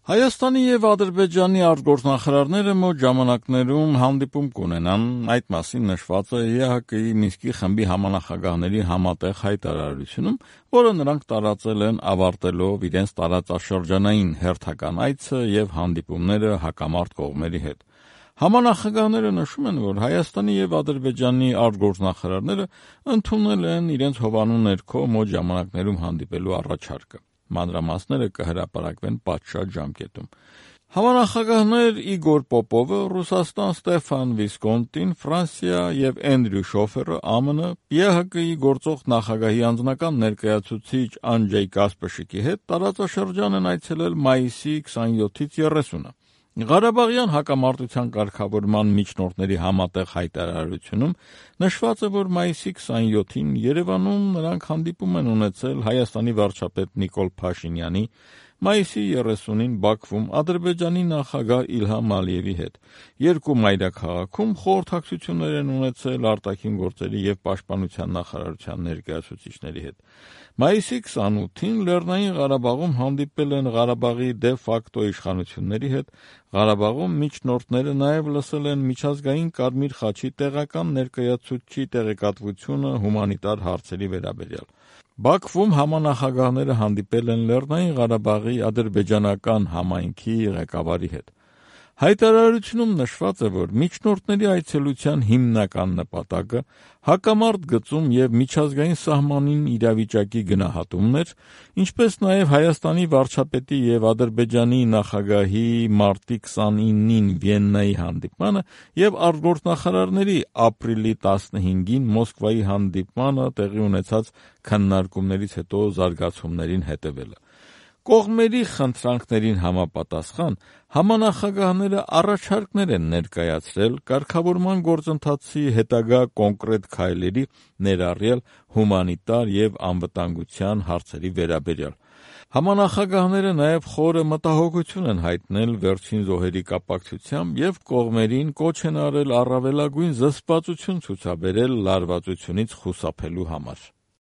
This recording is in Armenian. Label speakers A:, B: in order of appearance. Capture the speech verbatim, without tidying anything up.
A: Հայաստանի եւ Ադրբեջանի արտգործնախարարները մոտ ժամանակներում հանդիպում կունենան, այդ մասին նշված է Է Հ Կ-ի Մինսկի խմբի համանախագահների համատեղ հայտարարությունում, որը նրանք տարածել են ավարտելով իրենց տարածաշրջանային հերթական այցը եւ հանդիպումները հակամարտ կողմերի հետ։ Համանախագահները նշում են, որ Հայաստանի եւ Ադրբեջանի արտգործնախարարները ընդունել են իրենց հովանու ներքո մոտ ժամանակներում հանդիպելու առաջարկը։ Մանրամասները կհրապարակվեն պատշաճ ժամկետում։ Համանախագահներ Իգոր Պոպովը, Ռուսաստան Ստեֆան Վիսկոնտին, Ֆրանսիա եւ Էնդրյու Շոֆերը Ա M N, Է Հ Կ-ի գործող նախագահի անձնական ներկայացուցիչ Անջեյ Կասպշիկի հետ տարածաշրջան են այցելել մայիսի քսաներկուից երեսունը։ Ղարաբաղյան հակամարտության կարգավորման միջնորդների համատեղ հայտարարությունում նշված է, որ մայիսի քսաներկուին Երևանում նրանք հանդիպում են ունեցել Հայաստանի վարչապետ Նիկոլ Փաշինյանի, մայիսի երեսունին Բաքվում Ադրբեջանի նախագահ Իլհամ Ալիևի հետ։ Երկու մայրաքաղաքում խորհրդակցություններ են ունեցել արտաքին գործերի եւ պաշտպանության նախարարության ներկայացուցիչների հետ։ Մայիսի քսանութին Լեռնային Ղարաբաղում հանդիպել են Ղարաբաղի դե ֆակտո իշխանությունների հետ։ Ղարաբաղում միջնորդները նաև լսել են միջազգային Կարմիր խաչի տեղական ներկայացուցչի տեղեկատվությունը հումանիտար հարցերի վերաբերյալ։ Բաքվում համանախագահները հանդիպել են Լեռնային Ղարաբաղի ադրբեջանական համայնքի ղեկավարի հետ։ Հայտարարությունում նշված է, որ միջնորդների այցելության հիմնական նպատակը հակամարտ գծում եւ միջազգային սահմանին իրավիճակի գնահատումն էր, ինչպես նաեւ Հայաստանի վարչապետի եւ Ադրբեջանի նախագահի մարտի քսանինին Վիեննայի հանդիպմանը եւ արտգործնախարարների ապրիլի տասնհինգին Մոսկվայի հանդիպմանը տեղի ունեցած քննարկումներից հետո զարգացումներին հետևելը։ Կողմերի խնդրանքներին համապատասխան համանախագահները առաջարկներ են ներկայացրել կարգավորման գործընթացի հետագա կոնկրետ քայլերի, ներառյալ հումանիտար եւ անվտանգության հարցերի վերաբերյալ։ Համանախագահները նաև խորը մտահոգություն են հայտնել վերջին զոհերի կապակցությամբ եւ կողմերին կոչ են արել առավելագույն զսպվածություն ցուցաբերել լարվածությունից խուսափելու համար։